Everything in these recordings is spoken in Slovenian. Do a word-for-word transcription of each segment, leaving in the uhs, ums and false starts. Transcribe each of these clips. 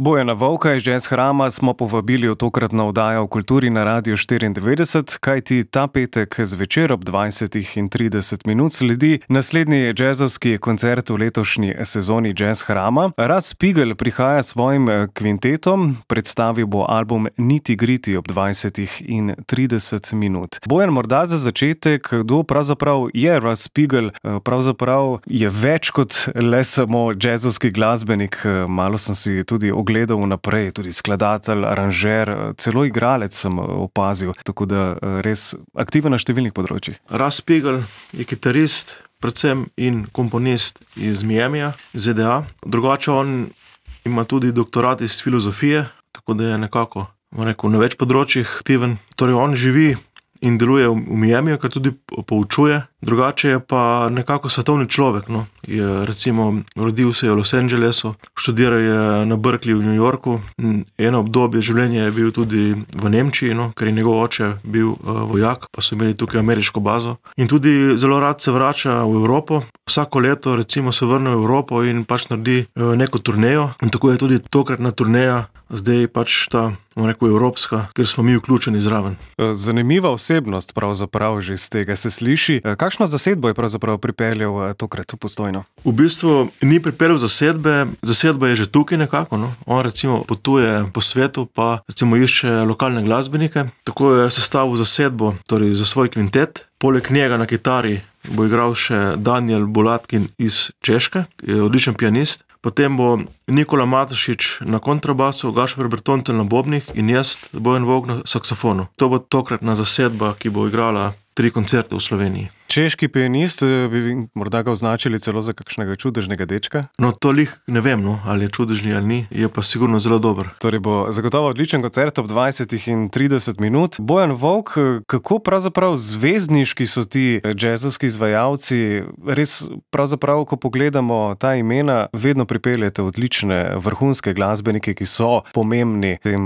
Bojana Volka iz Jazz Hrama smo povabili v tokratno oddajo v Kulturi na Radiu štiriindevetdeset, kajti ta petek zvečer ob dvajsetih in trideset minut sledi naslednji jazzovski koncert v letošnji sezoni Jazz Hrama. Raz Spigel prihaja s svojim kvintetom, predstavil bo album Niti Griti ob dvajsetih in trideset minut. Bojan, morda za začetek, kdo pravzaprav je Raz Spigel? Pravzaprav je več kot le samo jazzovski glasbenik, malo sem si tudi gledal naprej, tudi skladatelj, aranžer, celo igralec sem opazil, tako da res aktiven na številnih področjih. Raz Spigel je kitarist, predvsem in komponist iz Miamija, Z D A. Drugače on ima tudi doktorat iz filozofije, tako da je nekako, bom rekel, na več področjih aktiven. Torej on živi in deluje v Miamiju, kar tudi poučuje. Drugače je pa nekako svetovni človek, no. Je recimo rodil se je v Los Angelesu, študiral je na Berkeleyju v New Yorku, eno obdobje življenja je bil tudi v Nemčiji, no, ker je njegov oče bil uh, vojak, pa so imeli tukaj ameriško bazo. In tudi zelo rad se vrača v Evropo. Vsako leto recimo se vrne v Evropo in pač naredi uh, neko turnejo. In tako je tudi tokratna turneja zdaj pač ta, bom rekel, evropska, ker smo mi vključeni zraven. Zanimiva osebnost pravzaprav že z tega se sliši. Kakšno zasedbo je pravzaprav pripeljal tokrat v Postojno? V bistvu ni pripeljal zasedbe, zasedba je že tukaj nekako, no. On recimo potuje po svetu, pa recimo išče lokalne glasbenike. Tako je sestavil zasedbo, torej za svoj kvintet. Poleg njega na kitari bo igral še Daniel Bulatkin iz Češke, je odličen pianist. Potem bo Nikola Matošič na kontrabasu, Gašper Bertoncelj na bobnih in jaz, Bojan Volk, na saksofonu. To bo tokratna zasedba, ki bo igrala tri koncerte v Sloveniji. Češki pianist, bi morda ga označili celo za kakšnega čudežnega dečka? No, to lih ne vem, no, ali je čudežni ali ni, je pa sigurno zelo dober. Torej bo zagotovo odličen koncert ob dvajsetih in trideset minut. Bojan Volk, kako pravzaprav zvezdniški so ti jazzovski izvajalci? Res pravzaprav, ko pogledamo ta imena, vedno pripeljete odlične vrhunske glasbenike, ki so pomembni v tem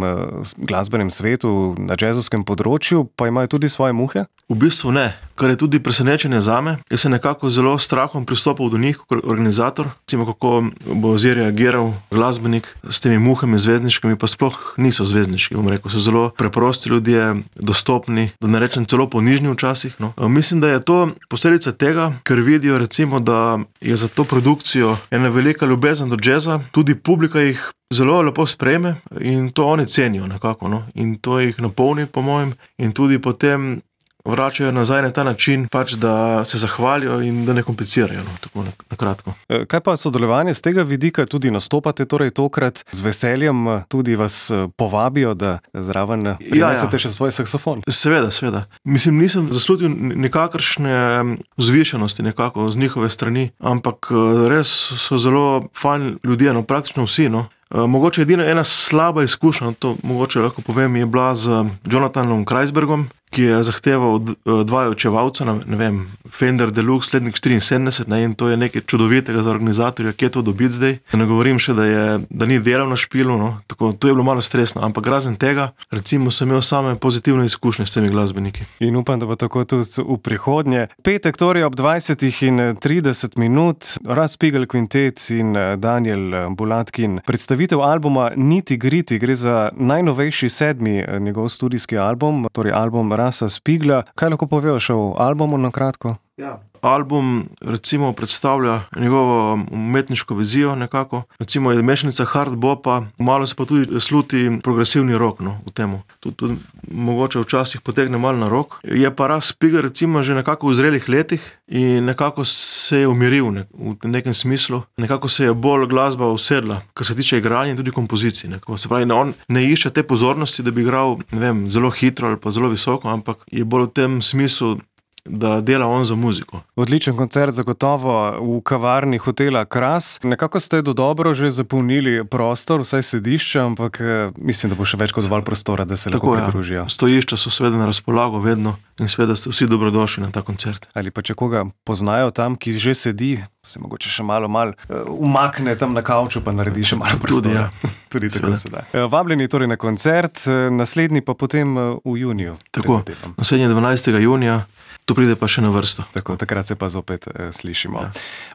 glasbenem svetu na jazzovskem področju, pa imajo tudi svoje muhe? V bistvu ne, kar je tudi presenečenje zame. Jaz sem nekako zelo strahom pristopil do njih kot organizator. Recimo, kako bo zdaj reagiral glasbenik s temi muhami zvezdniškimi, pa sploh niso zvezdniški, bom rekel. So zelo preprosti ljudje, dostopni, da ne rečem celo ponižni včasih, no. Mislim, da je to posledica tega, ker vidijo recimo, da je za to produkcijo ena velika ljubezen do jazza, tudi publika jih zelo lepo sprejme in to oni cenijo nekako, no. In to jih napolni, po mojem, in tudi potem vračajo nazaj na ta način, pač da se zahvalijo in da ne komplicirajo, no, tako na, na kratko. Kaj pa sodelovanje z tega vidika, tudi nastopate torej tokrat z veseljem, tudi vas povabijo, da zraven prinesete ja, ja. še svoj saksofon? Seveda, seveda. Mislim, nisem zaslutil nikakršne vzvišenosti nekako z njihove strani, ampak res so zelo fajn ljudje, no, praktično vsi, no. Mogoče edina ena slaba izkušnja, to mogoče lahko povem, je bila z Jonathanom Kreisbergom, ki je zahteval dva očevalca, ne vem, Fender Deluxe letnik štiriinsedemdeset, ne, in to je nekaj čudovitega za organizatorja, kje to dobiti zdaj. Ne govorim še, da, je, da ni delal na špilu, no, tako, to je bilo malo stresno, ampak razen tega, recimo, sem imel same pozitivne izkušnje s temi glasbeniki. In upam, da bo tako tudi v prihodnje. Petek torej ob dvajsetih in trideset minut, Raz Spigel kvintet in Daniel Bulatkin. Predstavitev albuma Niti Griti, gre za najnovejši sedmi njegov studijski album, torej album Raza Spigla. Kaj lahko poveš o albumu na kratko? Ja. Album recimo predstavlja njegovo umetniško vizijo nekako. Recimo je mešanica hard bopa, malo se pa tudi sluti progresivni rock, no, v temu. Tudi, tudi mogoče včasih potegne malo na rock. Je pa Raz Spigel recimo že nekako v zrelih letih in nekako se je umiril ne, v nekem smislu. Nekako se je bolj glasba usedla, kar se tiče igranja in tudi kompozicij. Nekako. Se pravi, on ne išče te pozornosti, da bi igral, ne vem, zelo hitro ali pa zelo visoko, ampak je bolj v tem smislu, da dela on za muziko. Odličen koncert zagotovo v kavarni hotela Kras. Nekako ste dodobro že zapolnili prostor, vsaj sedišče, ampak mislim, da bo še več kot dovolj prostora, da se Tako, lahko pridružijo. Ja. Stojišča so seveda na razpolago vedno in seveda ste vsi dobrodošli na ta koncert. Ali pa če koga poznajo tam, ki že sedi, se mogoče še malo mal uh, umakne tam na kavču, pa naredi še malo prostora. Tudi, ja. Tudi tako se da. Vabljeni torej na koncert, naslednji pa potem v juniju. Tako, naslednji dvanajstega junija. To pride pa še na vrsto. Tako, takrat se pa zopet eh, slišimo. Ja.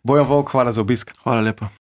Bojan Volk, hvala za obisk. Hvala lepa.